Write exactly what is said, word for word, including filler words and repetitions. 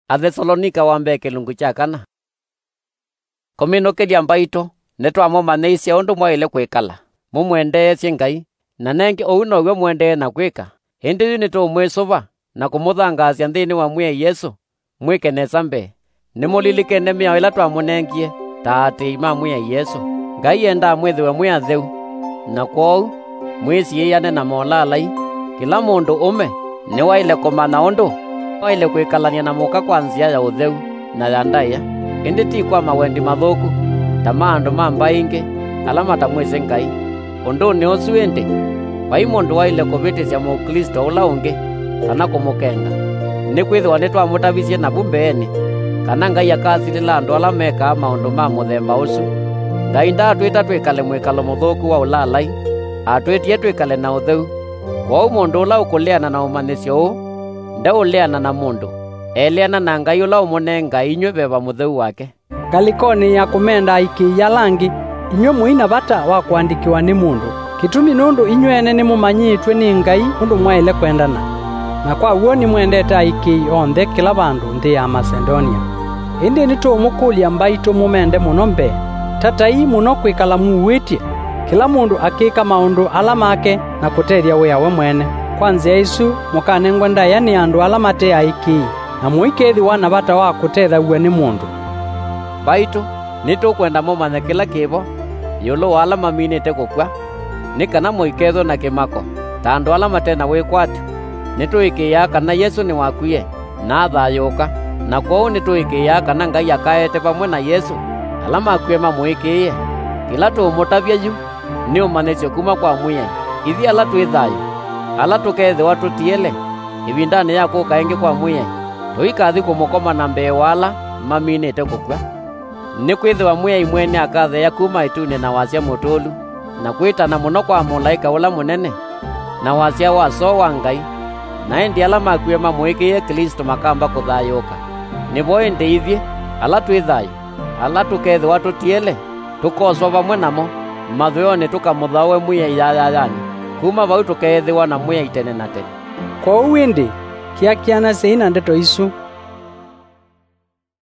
Athesalonika wa mbee kĩlungu kya kana. Kũminũkĩlya mbaitũ, nĩtwamũmanyĩisye ũndũ mwaĩle kwĩkala, mũmwendeeasye Ngai, na nengĩ ũu now'o mũendee na kwĩka. Ĩndĩ yu nĩtũũmwĩsũva na kũmũthangaasya nthĩnĩ wa Mwĩai Yesũ, mwĩke nesa mbee. Nĩmũlilikene mĩao ĩla twamũnengie ta aatĩĩi ma Mwĩai Yesũ. Ngai endaa mwĩthĩwe mwĩ atheu, na kwoou mwĩsiĩĩane na molalai. Kĩla mũndũ ũme nĩwaĩle kũmanya ũndũ waĩle kwĩkalany'a na mũka kwa nzĩa ya ũtheu na ya ndaĩa, ĩndĩ ti kwa mawendi mathũku, ta ma andũ ma mbaĩ ingĩ ala matamwĩsĩ Ngai. Ũndũnĩ ũsu ĩndĩ, vai mũndũ waĩle kũvĩtĩsya Mũklĩsto ũla ũngĩ kana kũmũkenga, nĩkwĩthĩwa nĩtwamũtavisye navu mbeenĩ kana Ngai akasilĩla andũ ala mekaa maũndũ ma mũthemba ũsu. Ngai ndaatwĩta twĩkale mwĩkalo mũthũku wa ũlalai, atwĩtie twĩkale na ũtheu. Kwoou mũndũ ũla ũkũleana na ũmanyĩsyo ũũ ndeũleana na mũndũ, eleana na Ngai ũla ũmũnengae inyw'ĩ Veva Mũtheu wake. Ngalĩkonĩ ya kũmenda aikĩĩi ala angĩ, inyw'ĩ mũi na vata wa kũandĩkĩwa nĩ mũndũ. Kĩtumi nũndũ inyw'ĩ ene nĩmũmanyĩĩtw'e nĩ Ngai ũndũ mwaĩle kwendana, na kwa w'o nĩmwendete aikĩĩi onthe kĩla vandũ nthĩ ya Masedonia. Ĩndĩ nĩtũũmũkũlya mbaitũ mũmende mũno mbee. Tatai mũno kwĩkala muuĩtye, kĩla mũndũ akĩka maũndũ ala make na kũtethya wĩa we mwene. Kwa nzĩa ĩsu mũkanengwe ndaĩa nĩ andũ ala mate aikĩĩi, na mũikethĩwa na vata wa kũtethaw'a nĩ mũndũ. Mbaitũ, nĩtũkwenda mũmanye kĩla kĩ vo ĩũlũ wa ala maminĩte kũkw'a, nĩ kana mũikethwe na kĩmako ta andũ ala mate na wĩkwatyo. Nĩtũĩkĩĩaa kana Yesũ nĩwakwie na athayũũka, na kwoou nĩtũĩkĩĩaa kana Ngai akaete vamwe na Yesũ ala makw'ĩe mamũĩkĩĩe. Kĩla tũũmũtavya yu nĩ ũmanyĩsyo kuma kwa Mwĩai. Ithyĩ ala twĩ thayũ, ala tũkeethĩwa tũtiele ĩvindanĩ ya kũka ĩngĩ kwa Mwĩai, tũikathi kũmũkoma na mbee wa ala maminĩte kũkw'a. Nĩkwĩthĩwa Mwĩai mwene akatheea kuma ĩtunĩ na wasya mũtũlu, na kwĩtana mũno kwa mũlaĩka ũla mũnene, na wasya wa soo wa Ngai, na ĩndĩ ala makw'ĩe mamũĩkĩĩe Klĩsto makamba kũthayũũka. Nĩvo ĩndĩ ithyĩ, ala twĩ thayũ, ala tũkeethĩwa tũtiele, tũkoswa vamwe namo mathũĩonĩ tũkamũthaũe Mwĩai yayayanĩ. Kuma vau tũkeethĩwa na Mwĩai tene na tene. Kwoou ĩndĩ, kĩakĩanasyai na ndeto isu.